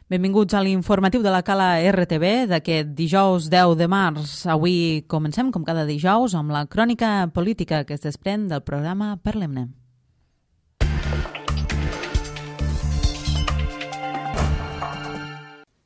Benvinguts a l'informatiu de la Cala RTV d'aquest dijous 10 de març. Avui comencem, com cada dijous, amb la crònica política que es desprèn del programa Parlem-ne.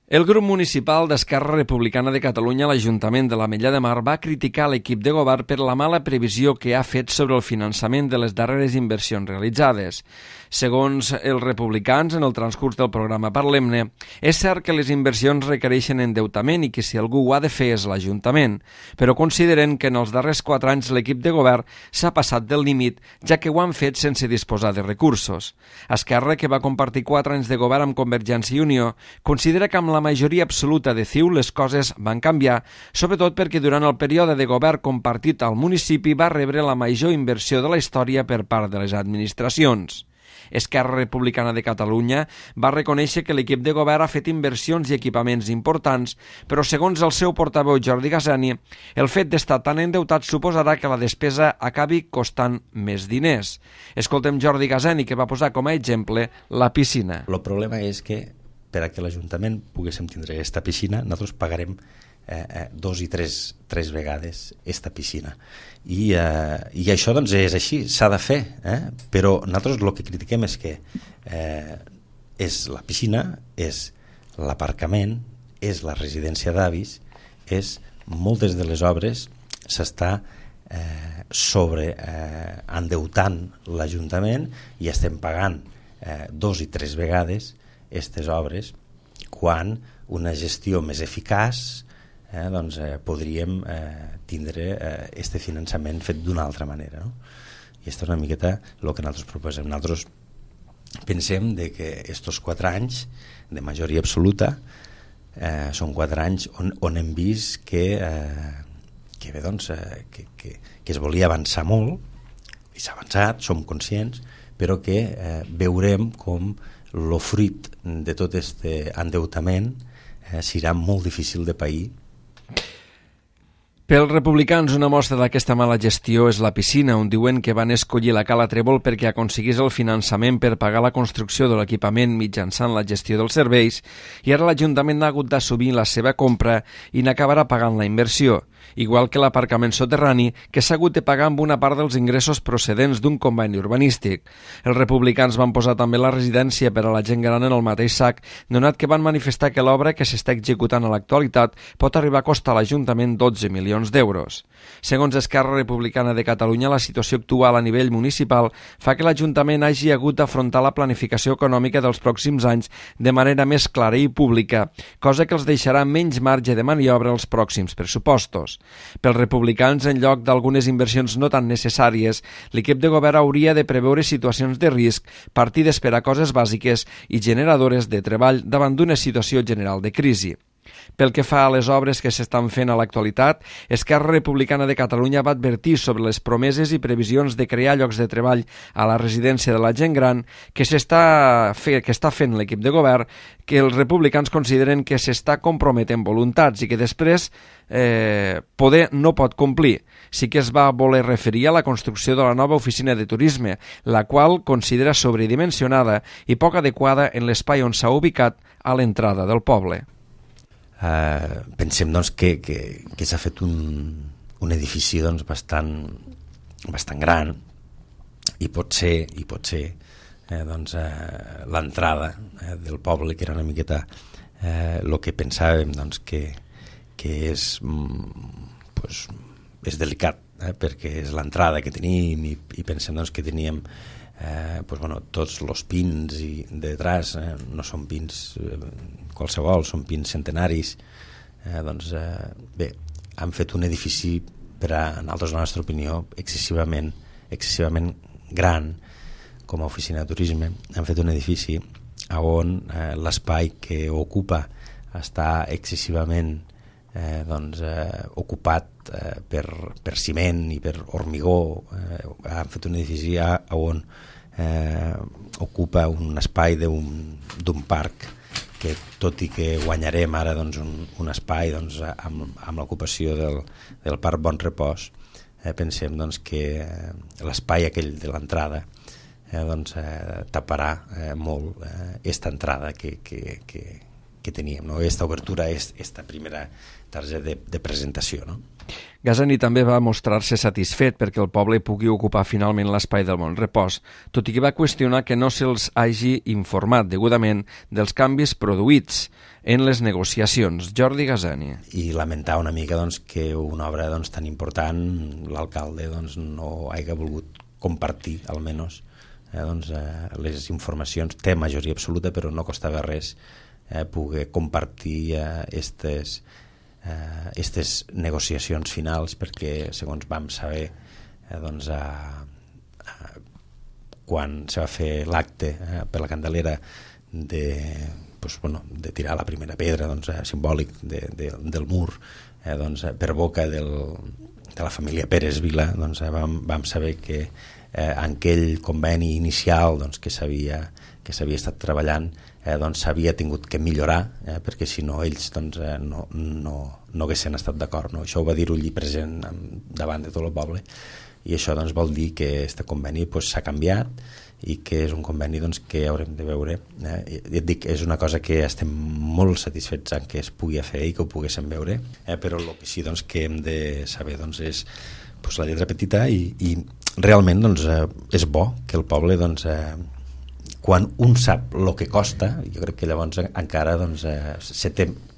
El grup municipal d'Esquerra Republicana de Catalunya a l'Ajuntament de l'Ametlla de Mar va criticar l'equip de govern per la mala previsió que ha fet sobre el finançament de les darreres inversions realitzades. Segons els republicans, en el transcurs del programa Parlem-ne, és cert que les inversions requereixen endeutament i que si algú ho ha de fer és l'Ajuntament, però consideren que en els darrers 4 anys l'equip de govern s'ha passat del límit, ja que ho han fet sense disposar de recursos. Esquerra, que va compartir 4 anys de govern amb Convergència i Unió, considera que amb la majoria absoluta de CiU les coses van canviar, sobretot perquè durant el període de govern compartit al municipi va rebre la major inversió de la història per part de les administracions. Esquerra Republicana de Catalunya va reconèixer que l'equip de govern ha fet inversions i equipaments importants, però segons el seu portaveu Jordi Gazani, el fet d'estar tan endeutat suposarà que la despesa acabi costant més diners. Escoltem Jordi Gazani, que va posar com a exemple la piscina. El problema és que per a que l'Ajuntament poguéssim tindre aquesta piscina, nosaltres pagarem 2 i 3 vegades aquesta piscina. I això doncs és així, s'ha de fer, però nosaltres el que critiquem és que és la piscina, és l'aparcament, és la residència d'avis, és moltes de les obres s'està endeutant l'Ajuntament i estem pagant 2 i 3 vegades aquestes obres, quan una gestió més eficaç podríem tindre este finançament fet d'una altra manera, no? I això és una miqueta el que nosaltres proposem. Nosaltres pensem que aquests 4 anys de majoria absoluta són 4 anys on hem vist que es volia avançar molt, i s'ha avançat, som conscients, però que veurem com el fruit de tot aquest endeutament serà molt difícil de pair. Pels republicans, una mostra d'aquesta mala gestió és la piscina, on diuen que van escollir la Cala Trèvol perquè aconseguís el finançament per pagar la construcció de l'equipament mitjançant la gestió dels serveis, i ara l'Ajuntament ha hagut d'assumir la seva compra i n'acabarà pagant la inversió, igual que l'aparcament soterrani, que s'ha hagut de pagar amb una part dels ingressos procedents d'un conveni urbanístic. Els republicans van posar també la residència per a la gent gran en el mateix sac, donat que van manifestar que l'obra que s'està executant a l'actualitat pot arribar a costar a l'Ajuntament 12 milions d'euros. Segons Esquerra Republicana de Catalunya, la situació actual a nivell municipal fa que l'Ajuntament hagi hagut d'afrontar la planificació econòmica dels pròxims anys de manera més clara i pública, cosa que els deixarà menys marge de maniobra als pròxims pressupostos. Pels republicans, en lloc d'algunes inversions no tan necessàries, l'equip de govern hauria de preveure situacions de risc, partides per a coses bàsiques i generadores de treball davant d'una situació general de crisi. Pel que fa a les obres que s'estan fent a l'actualitat, Esquerra Republicana de Catalunya va advertir sobre les promeses i previsions de crear llocs de treball a la residència de la gent gran que està fent l'equip de govern, que els republicans consideren que s'està comprometent voluntats i que després poder no pot complir. Sí que es va voler referir a la construcció de la nova oficina de turisme, la qual considera sobredimensionada i poc adequada en l'espai on s'ha ubicat a l'entrada del poble. Pensem doncs, que s'ha fet un edifici doncs, bastant gran i pot ser l'entrada del poble, que era una miqueta el que pensàvem doncs, que és delicat, perquè és l'entrada que tenim i pensem doncs, que teníem tots els pins i detrás no són pins qualsevol, són pins centenaris. Bé, han fet un edifici, per a nosaltres, la nostra opinió, excessivament gran com a oficina de turisme. Han fet un edifici on l'espai que ocupa està excessivament ocupat per ciment i per hormigó. Han fet un edifici on ocupa un espai d'un parc que, tot i que guanyarem ara un espai amb l'ocupació del Parc Bon Repòs, pensem que l'espai aquell de l'entrada taparà molt aquesta entrada que que teníem, no? Aquesta obertura, aquesta primera targeta de presentació, no? Gazani també va mostrar-se satisfet perquè el poble pugui ocupar finalment l'espai del Bon Repòs, tot i que va qüestionar que no se'ls hagi informat degudament dels canvis produïts en les negociacions. Jordi Gazani. I lamentar una mica doncs, que una obra doncs, tan important l'alcalde doncs, no hagi volgut compartir, almenys, les informacions. Té majoria absoluta, però no costava res poder compartir aquestes negociacions finals, perquè segons vam saber quan se va fer l'acte per la Candelera de tirar la primera pedra simbòlic del mur per boca de la família Pérez Vila, vam saber que en aquell conveni inicial que s'havia estat treballant s'havia tingut que millorar, perquè si no ells no haguessin estat d'acord, no? Això ho va dir Ullí present davant de tot el poble, i això vol dir que aquest conveni s'ha canviat i que és un conveni que haurem de veure. Et dic, és una cosa que estem molt satisfets en que es pugui fer i que ho poguéssim veure, però el que sí que hem de saber és la lletra petita i realment és bo que el poble quan un sap el que costa, jo crec que llavors encara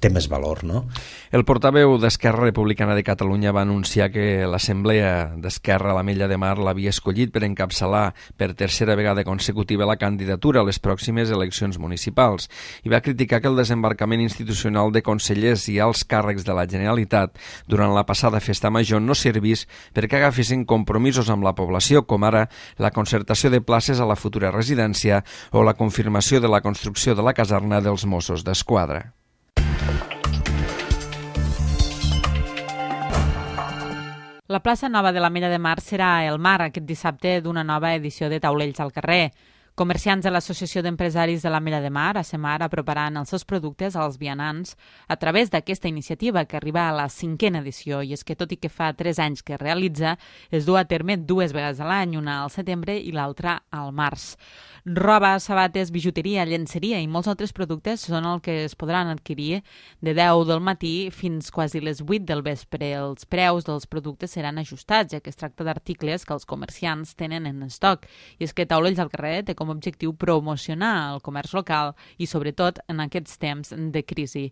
té més valor, no? El portaveu d'Esquerra Republicana de Catalunya va anunciar que l'Assemblea d'Esquerra a l'Ametlla de Mar l'havia escollit per encapçalar per tercera vegada consecutiva la candidatura a les pròximes eleccions municipals i va criticar que el desembarcament institucional de consellers i alts càrrecs de la Generalitat durant la passada festa major no servís perquè agafessin compromisos amb la població, com ara la concertació de places a la futura residència o la confirmació de la construcció de la caserna dels Mossos d'Esquadra. La plaça Nova de l'Ametlla de Mar serà el mar aquest dissabte d'una nova edició de Taulells al carrer. Comerciants de l'Associació d'Empresaris de l'Ametlla de Mar, ASEMAR, aproparan els seus productes als vianants a través d'aquesta iniciativa que arriba a la 5a edició, i és que tot i que fa 3 anys que es realitza, es du a terme 2 vegades a l'any, una al setembre i l'altra al març. Roba, sabates, bijuteria, llenceria i molts altres productes són el que es podran adquirir de 10 del matí fins quasi les 8 del vespre. Els preus dels productes seran ajustats, ja que es tracta d'articles que els comerciants tenen en estoc. I és que Taulells al carrer té com a objectiu promocionar el comerç local i, sobretot, en aquests temps de crisi.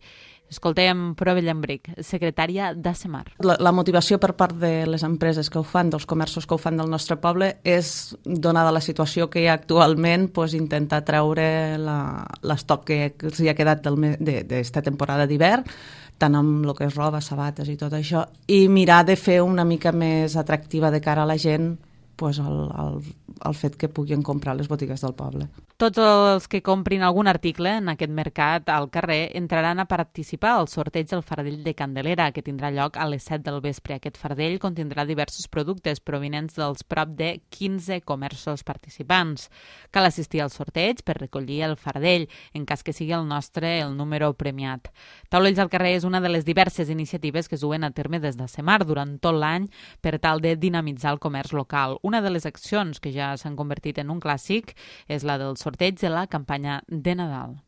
Escoltem Prove Llambric, secretària d'ASEMAR. La motivació per part de les empreses que ho fan, dels comerços que ho fan del nostre poble, és, donada la situació que hi ha actualment, intentar treure l'estoc que els hi ha quedat d'esta temporada d'hivern, tant amb el que és roba, sabates i tot això, i mirar de fer una mica més atractiva de cara a la gent el fet que puguin comprar les botigues del poble. Tots els que comprin algun article en aquest mercat al carrer entraran a participar al sorteig del fardell de Candelera, que tindrà lloc a les 7 del vespre. Aquest fardell contindrà diversos productes provinents dels prop de 15 comerços participants. Cal assistir al sorteig per recollir el fardell, en cas que sigui el nostre el número premiat. Taulells al carrer és una de les diverses iniciatives que es duen a terme des d'ASEMAR durant tot l'any per tal de dinamitzar el comerç local. Una de les accions que ja s'han convertit en un clàssic és la del sorteig de la campanya de Nadal.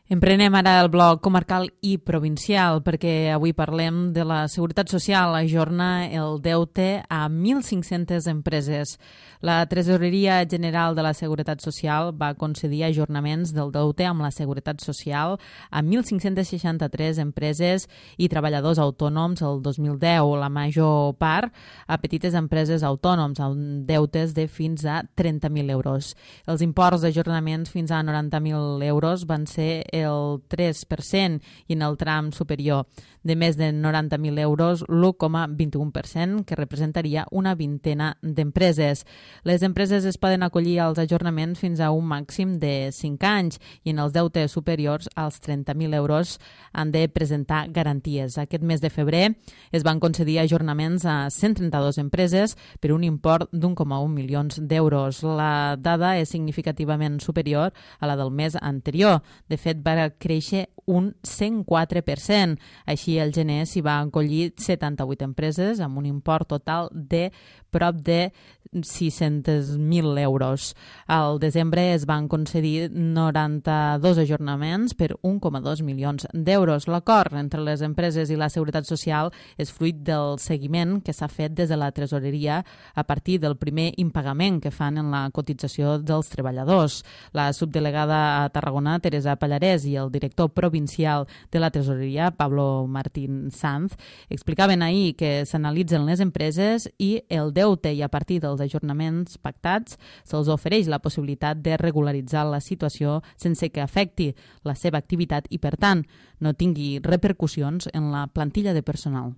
Emprenem ara el bloc comarcal i provincial perquè avui parlem de la Seguretat Social. Ajorna el deute a 1.500 empreses. La Tresoreria General de la Seguretat Social va concedir ajornaments del deute amb la Seguretat Social a 1.563 empreses i treballadors autònoms el 2010, la major part a petites empreses autònoms amb deutes de fins a 30.000 euros. Els imports d'ajornaments fins a 90.000 euros van ser el 3% i en el tram superior de més de 90.000 euros l'1,21%, que representaria una vintena d'empreses. Les empreses es poden acollir als ajornaments fins a un màxim de 5 anys i en els deutes superiors als 30.000 euros han de presentar garanties. Aquest mes de febrer es van concedir ajornaments a 132 empreses per un import d'1,1 milions d'euros. La dada és significativament superior a la del mes anterior. De fet, va créixer un 104%. Així, el gener s'hi va acollir 78 empreses amb un import total de prop de 600.000 euros. Al desembre es van concedir 92 ajornaments per 1,2 milions d'euros. L'acord entre les empreses i la Seguretat Social és fruit del seguiment que s'ha fet des de la Tresoreria a partir del primer impagament que fan en la cotització dels treballadors. La subdelegada a Tarragona, Teresa Pallarès, i el director provincial de la Tresoreria, Pablo Martín Sanz, explicaven ahir que s'analitzen les empreses i el deute, i a partir dels ajornaments pactats se'ls ofereix la possibilitat de regularitzar la situació sense que afecti la seva activitat i, per tant, no tingui repercussions en la plantilla de personal.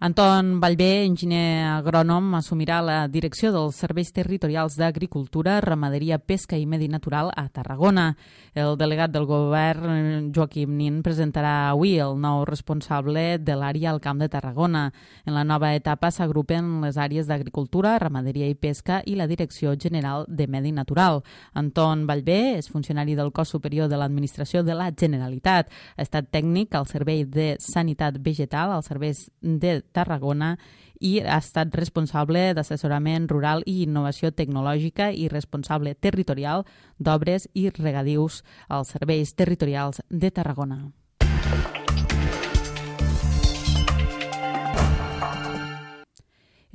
Anton Vallvé, enginyer agrònom, assumirà la direcció dels Serveis Territorials d'Agricultura, Ramaderia, Pesca i Medi Natural a Tarragona. El delegat del govern, Joaquim Nin, presentarà avui el nou responsable de l'àrea al Camp de Tarragona. En la nova etapa s'agrupen les àrees d'Agricultura, Ramaderia i Pesca i la Direcció General de Medi Natural. Anton Vallvé és funcionari del Cos Superior de l'Administració de la Generalitat. Ha estat tècnic al Servei de Sanitat Vegetal, als Serveis de Tarragona, i ha estat responsable d'assessorament rural i innovació tecnològica i responsable territorial d'obres i regadius als Serveis Territorials de Tarragona.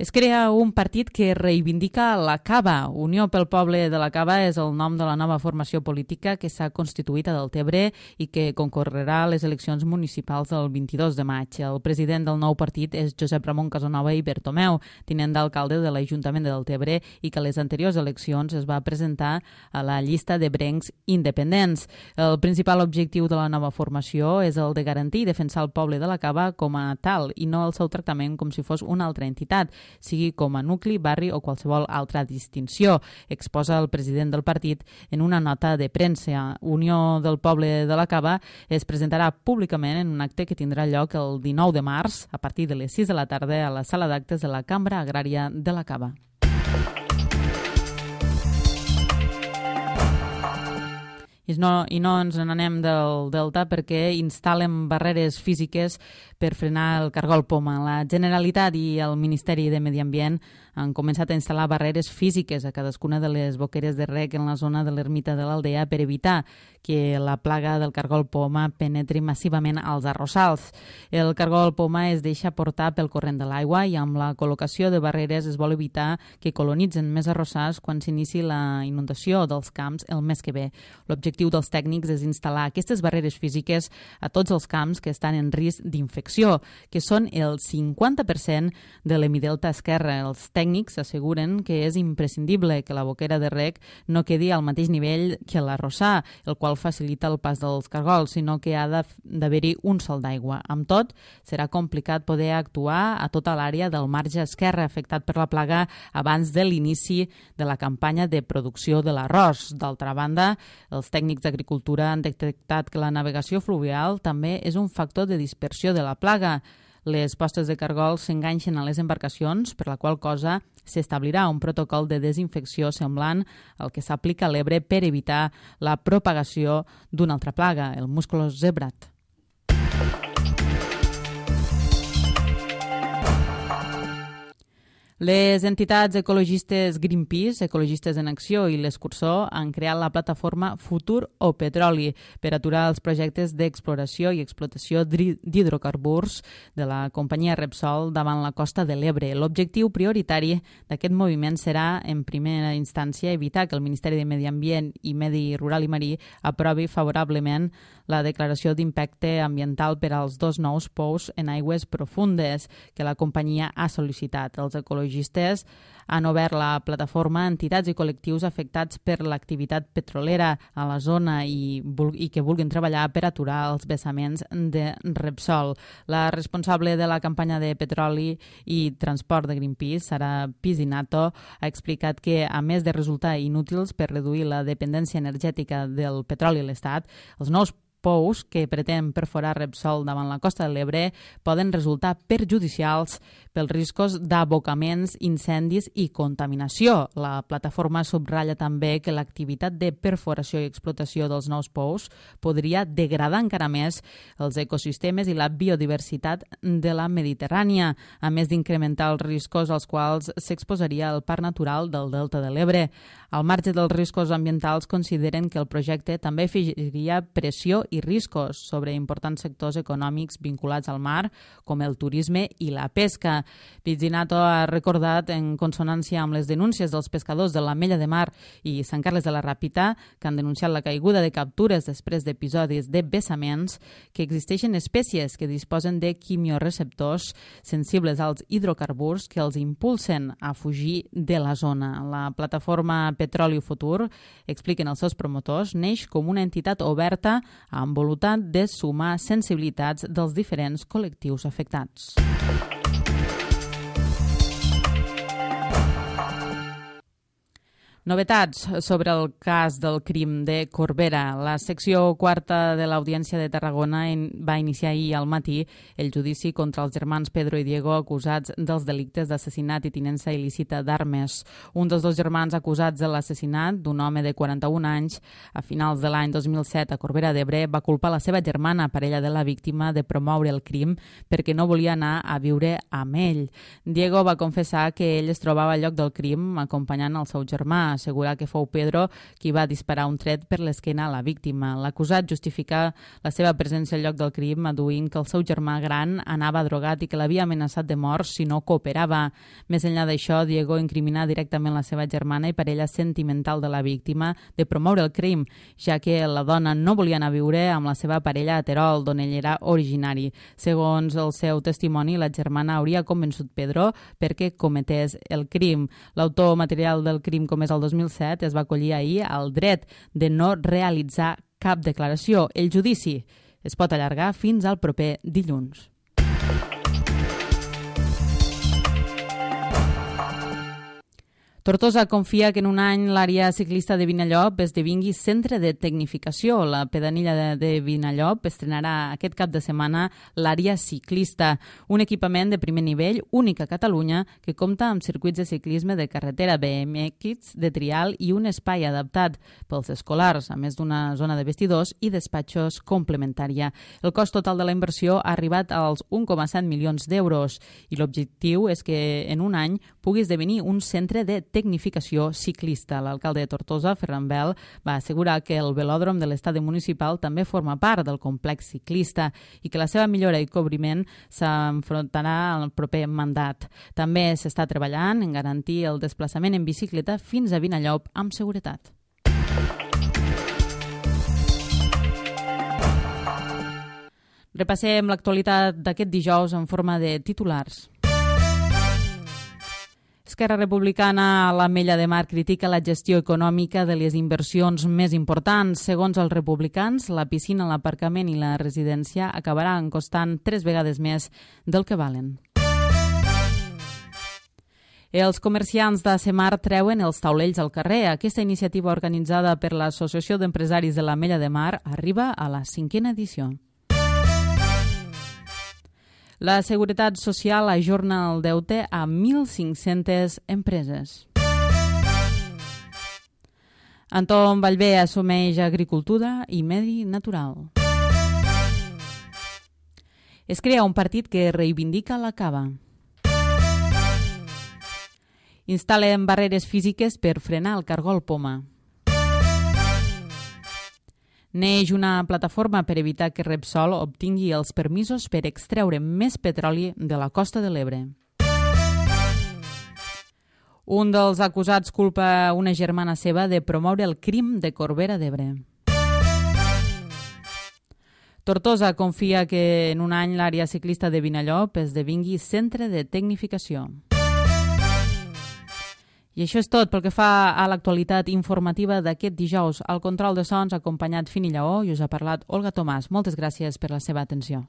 Es crea un partit que reivindica la Cava. Unió pel Poble de la Cava és el nom de la nova formació política que s'ha constituït a Deltebre i que concorrerà a les eleccions municipals del 22 de maig. El president del nou partit és Josep Ramon Casanova i Bertomeu, tinent d'alcalde de l'Ajuntament de Deltebre, i que a les anteriors eleccions es va presentar a la llista de brencs independents. El principal objectiu de la nova formació és el de garantir i defensar el poble de la Cava com a tal i no el seu tractament com si fos una altra entitat, sigui com a nucli, barri o qualsevol altra distinció, exposa el president del partit en una nota de premsa. Unió del Poble de la Cava es presentarà públicament en un acte que tindrà lloc el 19 de març a partir de les 6 de la tarda a la sala d'actes de la Cambra Agrària de la Cava. I no ens n'anem del Delta perquè instal·len barreres físiques per frenar el cargol poma. La Generalitat i el Ministeri de Medi Ambient han començat a instal·lar barreres físiques a cadascuna de les boqueres de reg en la zona de l'ermita de l'Aldea per evitar que la plaga del cargol poma penetri massivament als arrossals. El cargol poma es deixa portar pel corrent de l'aigua i amb la col·locació de barreres es vol evitar que colonitzen més arrossars quan s'inici la inundació dels camps el mes que ve. L'objectiu dels tècnics és instal·lar aquestes barreres físiques a tots els camps que estan en risc d'infecció, que són el 50% de l'hemidelta esquerre. Els tècnics asseguren que és imprescindible que la boquera de reg no quedi al mateix nivell que l'arrossar, el qual facilita el pas dels cargols, sinó que ha d'haver-hi un sol d'aigua. Amb tot, serà complicat poder actuar a tota l'àrea del marge esquerre afectat per la plaga abans de l'inici de la campanya de producció de l'arròs. D'altra banda, els tècnics d'Agricultura han detectat que la navegació fluvial també és un factor de dispersió de la plaga. Les postes de cargols s'enganxen a les embarcacions, per la qual cosa s'establirà un protocol de desinfecció semblant al que s'aplica a l'Ebre per evitar la propagació d'una altra plaga, el musculós zebrat. Les entitats ecologistes Greenpeace, Ecologistes en Acció i l'Escursor han creat la plataforma Futur o Petroli per aturar els projectes d'exploració i explotació d'hidrocarburs de la companyia Repsol davant la costa de l'Ebre. L'objectiu prioritari d'aquest moviment serà, en primera instància, evitar que el Ministeri de Medi Ambient i Medi Rural i Marí aprovi favorablement la declaració d'impacte ambiental per als dos nous pous en aigües profundes que la companyia ha sol·licitat. Els ecologistes han obert la plataforma a entitats i col·lectius afectats per l'activitat petrolera a la zona i que vulguin treballar per aturar els vessaments de Repsol. La responsable de la campanya de petroli i transport de Greenpeace, Sara Pisinato, ha explicat que, a més de resultar inútils per reduir la dependència energètica del petroli a l'Estat, els nous pous que pretén perforar Repsol davant la costa de l'Ebre poden resultar perjudicials pels riscos d'abocaments, incendis i contaminació. La plataforma subratlla també que l'activitat de perforació i explotació dels nous pous podria degradar encara més els ecosistemes i la biodiversitat de la Mediterrània, a més d'incrementar els riscos als quals s'exposaria el Parc Natural del Delta de l'Ebre. Al marge dels riscos ambientals, consideren que el projecte també afegiria pressió i riscos sobre importants sectors econòmics vinculats al mar, com el turisme i la pesca. Pizzinato ha recordat, en consonància amb les denúncies dels pescadors de l'Ametlla de Mar i Sant Carles de la Ràpita, que han denunciat la caiguda de captures després d'episodis de vessaments, que existeixen espècies que disposen de quimioreceptors sensibles als hidrocarburs que els impulsen a fugir de la zona. La plataforma Petroli Futur, expliquen els seus promotors, neix com una entitat oberta amb voluntat de sumar sensibilitats dels diferents col·lectius afectats. Novetats sobre el cas del crim de Corbera. La secció quarta de l'Audiència de Tarragona va iniciar ahir al matí el judici contra els germans Pedro i Diego acusats dels delictes d'assassinat i tinença il·lícita d'armes. Un dels dos germans acusats de l'assassinat d'un home de 41 anys a finals de l'any 2007 a Corbera d'Ebre va culpar la seva germana, parella de la víctima, de promoure el crim perquè no volia anar a viure amb ell. Diego va confessar que ell es trobava al lloc del crim acompanyant el seu germà, assegurar que fou Pedro qui va disparar un tret per l'esquena a la víctima. L'acusat justifica la seva presència al lloc del crim aduint que el seu germà gran anava drogat i que l'havia amenaçat de mort si no cooperava. Més enllà d'això, Diego incriminà directament la seva germana i parella sentimental de la víctima de promoure el crim, ja que la dona no volia anar a viure amb la seva parella a Terol, d'on ell era originari. Segons el seu testimoni, la germana hauria convençut Pedro perquè cometés el crim. L'autor material del crim comès el 2007 es va acollir ahir al dret de no realitzar cap declaració. El judici es pot allargar fins al proper dilluns. Tortosa confia que en un any l'àrea ciclista de Vinallop esdevingui centre de tecnificació. La pedanilla de Vinallop estrenarà aquest cap de setmana l'àrea ciclista, un equipament de primer nivell únic a Catalunya que compta amb circuits de ciclisme de carretera, BMX, de trial i un espai adaptat pels escolars, a més d'una zona de vestidors i despatxos complementària. El cost total de la inversió ha arribat als 1,7 milions d'euros i l'objectiu és que en un any pugui esdevenir un centre de tecnificació ciclista. L'alcalde de Tortosa, Ferran Bel, va assegurar que el velòdrom de l'estadi municipal també forma part del complex ciclista i que la seva millora i cobriment s'enfrontarà al proper mandat. També s'està treballant en garantir el desplaçament en bicicleta fins a Vinallop amb seguretat. Repassem l'actualitat d'aquest dijous en forma de titulars. Esquerra Republicana a l'Ametlla de Mar critica la gestió econòmica de les inversions més importants. Segons els republicans, la piscina, l'aparcament i la residència acabaran costant 3 vegades més del que valen. Els comerciants de Semar treuen els taulells al carrer. Aquesta iniciativa organitzada per l'Associació d'Empresaris de l'Ametlla de Mar arriba a la 5ª edició. La Seguretat Social ajorna el deute a 1.500 empreses. Anton Vallvé assumeix agricultura i medi natural. Es crea un partit que reivindica la cava. Instal·len barreres físiques per frenar el cargol poma. Neix una plataforma per evitar que Repsol obtingui els permisos per extreure més petroli de la costa de l'Ebre. Un dels acusats culpa una germana seva de promoure el crim de Corbera d'Ebre. Tortosa confia que en un any l'àrea ciclista de Vinallop esdevingui centre de tecnificació. I això és tot pel que fa a l'actualitat informativa d'aquest dijous. Al control de sons, acompanyat Fini Lleó, i us ha parlat Olga Tomàs. Moltes gràcies per la seva atenció.